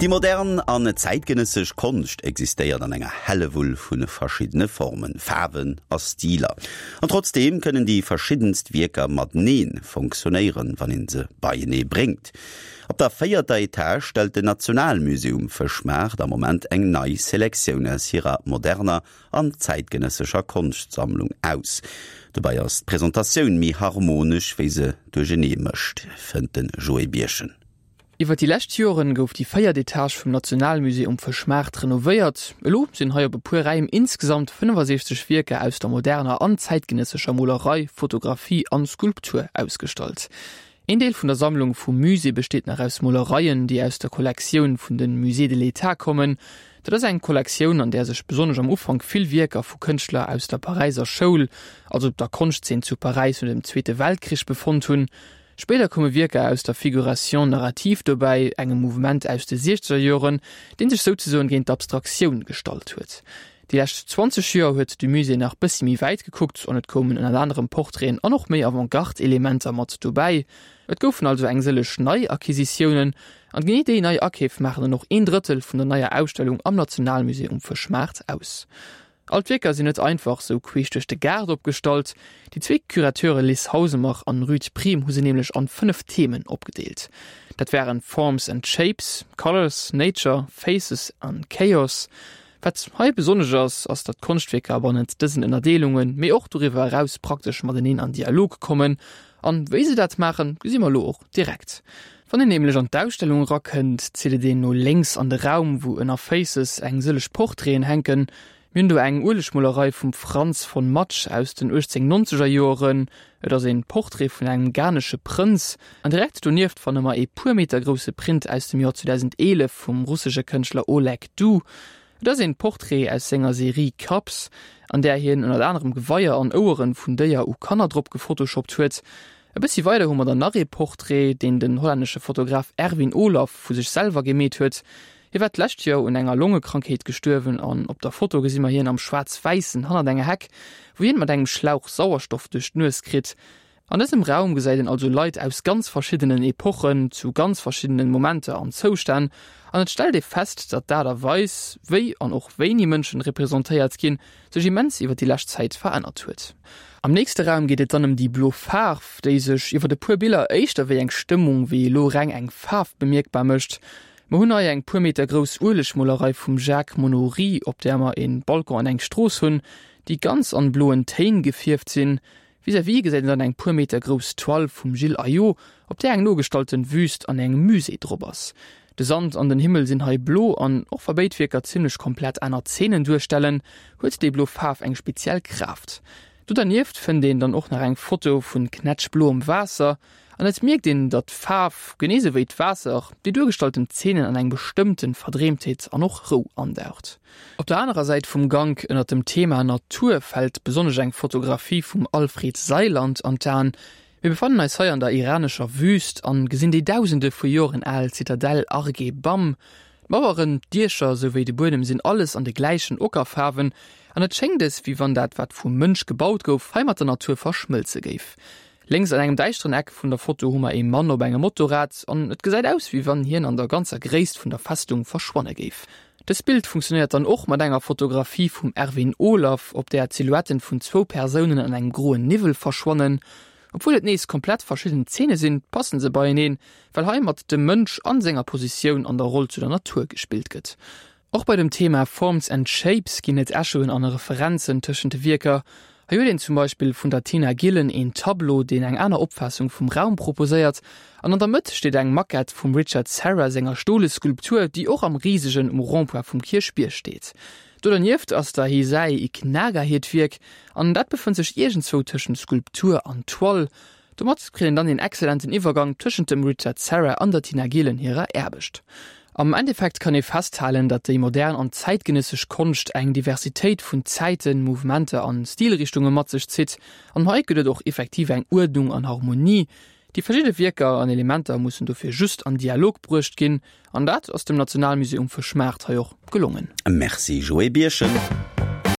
Déi modern an zäitgenëssesch Konscht existéiert an enger Hellewull vu verschiddene Formen, Faarwen a Stiler. An trotzdeem kënnen déi verschiddenst Wierker matenee fonctionnéieren, wann een se beienee bréngt. Op der véierter Etage stellt den Nationalmusée um Fëschmaart am Moment eng nei Selektioun aus hirer moderner an zäitgenëssescher Konschtsammlung aus. Dobäi ass d'Presentatioun méi harmonesch, wéi se duerchenee mëscht, fënnt de Joé Birchen. Iwwer déi lescht Joren gouf déi véiert Etage vum Nationalmusée um Fëschmaart renovéiert. Elo sinn hei op e puer Räim insgesamt 65 Wierker aus der moderner an zäitgenëssescher Molerei, Fotografie an Skulptur ausgestallt. Een Deel vun der Sammlung vum Musée besteet nach aus Molereien, déi aus der Kollektioun vun de Musées de l'État kommen. Dat ass eng Kollektioun, an där sech besonnesch am Ufank vill Wierker vu Kënschtler aus der Paräiser Schoul, also der Konschtzeen zu Paräis no dem Zweete Weltkrich, befonnt hunn. Spéider koume Wierker aus der Figuration narrative dobäi, engem Mouvement aus de siechzeger Joren, dee sech souzesoen géint d'Abstraktioun gestallt huet. Déi lescht 20 Joer huet de Musée nach bëssi méi wäit gekuckt an et koumen ënnert anerem Portraiten an och méi Avantgarde-Elementer mat dobäi. Et goufen also eng sëlleg nei Acquisitiounen an genee déi nei Akeef maachen dann och een Drëttel vun der neier Ausstellung am Nationalmusée um Fëschmaart aus. All d'Wierker sinn net einfach sou queesch duerch de Gaart opgestallt. Déi zwee Curateure Liz Hausemer an Ruth Prim hu se nämlech an 5 Themen opgedeelt. Dat waren Forms and Shapes, Colours, Nature, Faces an Chaos. Wat hei besonnesch ass, ass datt d'Konschtwierker bannent dësen Ënnerdeelungen, mee och doriwwer eraus praktesch mateneen an Dialog kommen. An wéi se dat maachen, gesi mer elo och direkt. Wann een nämlech an d'Ausstellung erakënnt, zitt et een no lénks an de Raum, wou ënner Faces eng sëlleg Portraiten hänken. Mir hunn do eng Uelegmolerei vum Franz von Matsch aus den 1890er Joeren. Et ass een Portrait vun engem ghanesche Prënz. An direkt donieft fanne mer ee puer Meter grousse Print aus dem Joer 2011 vum russesche Kënschtler Oleg Du. Et ass een Portrait aus senger Serie Cups, an där hien ënnert anerem Geweier an Oueren vun Déier u Kanner drop gefotoshoppt huet. E bëssi weider hu mer dann nach ee Portrait, deen den hollännesche Fotograf Erwin Olaf vu sech selwer gemeet huet. Hie war d'lescht Joer un enger Longekrankheet gestuerwen an op der Foto gesi mer hien am Schwaarz-Wäissen hannert enger Heck, wou hien mat engem Schlauch Sauerstoff duerch d'Nues kritt. An dësem Raum gesäit een also Leit aus ganz verschiddenen Epochen, zu ganz verschiddenen Momenter an Zoustänn, an et stellt ee fest, datt d'Aart a Weis, wéi an och wéini Mënschen representéiert ginn, sech immens iwwer déi lescht Zäit verännert huet. Am nächste Raum geet et dann ëm déi blo Faarf, déi sech iwwer e puer Biller éischter wéi eng Stëmmung wéi elo reng eng Faarf bemierkbar mécht. Mer hunn hei eng puer Meter grouss Uelegmolerei vum Jacques Monory, op där mer een Balcon an eng Strooss hunn, déi ganz an bloen Téin gefierft sinn. Vis-à-vis gesäit een dann eng puer Meter grouss Toile vum Gilles Aillaud, op där eng nogestalten Wüst an engem Musée drop ass. De Sand an den Himmel sinn hei blo an och wa béid Wierker zimmlech komplett aner Zeenen duerstellen, huet déi blo Faarf eng speziell Kraaft. Do dernieft fënnt een dann och nach eng Foto vun knätschbloem Waasser an et mierkt een, datt d'Faarf, genee sou wéi d'Waasser, déi duergestallten Zeenen an eng bestëmmten Verdreemtheet an och Rou andaucht. Op der anerer Säit vum Gank, ënnert dem Thema Natur, fält besonnesch eng Fotografie vum Alfred Seiland an d'Aen. Mir befannen eis hei an der iranescher Wüst an gesinn déi dausende vu Joren al Zitadell Arg-e Bam. D'Maueren, d'Diecher souwéi de Buedem sinn alles an de gläichen Ockerfaarwen an et schéngt es, wéi wann dat wat vum Mënsch gebaut gouf, hei mat der Natur verschmëlze géif. Lénks an engem däischteren Eck vun der Foto hu mer ee Mann op engem Motorrad an et gesäit aus wéi wann hien an der ganzer Gréisst vun der Festung verschwanne géif. Dëst Bild funktionéiert dann och mat enger Fotografie vum Erwin Olaf, op där d'Silhouetten vun zwou Persounen an engem groen Niwwel verschwannen. Obwuel et nees komplett verschidden Zeene sinn, passen se beieneen, well hei mat dem Mënsch an senger Positioun an der Roll zu der Natur gespillt gëtt. Och bei dem Thema Forms and Shapes ginn et Echoen an Referenzen tëschent de Wierker. Hei huet een zum Beispill vun der Tina Gillen een Tableau, deen eng aner Opfaassung vum Raum proposéiert. An an der Mëtt steet eng Maquette vum Richard Serra senger stole Skulptur, déi och am risegen um Rond-point vum Kierchbierg steet. Do dernieft ass der Hisae Ikenaga hiert Wierk, an dat befënnt sech iergendzwou tëschent Skulptur an Toile. Domat kritt een dann een excellenten Iwwergang tëschent dem Richard Serra an der Tina Gehlen hirer Aarbecht. Am Endeffekt kann ee festhalen, datt déi modern an zäitgenëssesch Konscht eng Diversitéit vun Zäiten, Mouvementer an Stilrichtunge mat sech zitt. An hei gëtt et och effektiv eng Uerdnung an Harmonie. Déi verschidde Wierker an Elementer mussen dofir just an Dialog bruecht ginn, an dat ass dem Nationalmusée um Fëschmaart hei och gelongen. Merci Joé Birchen.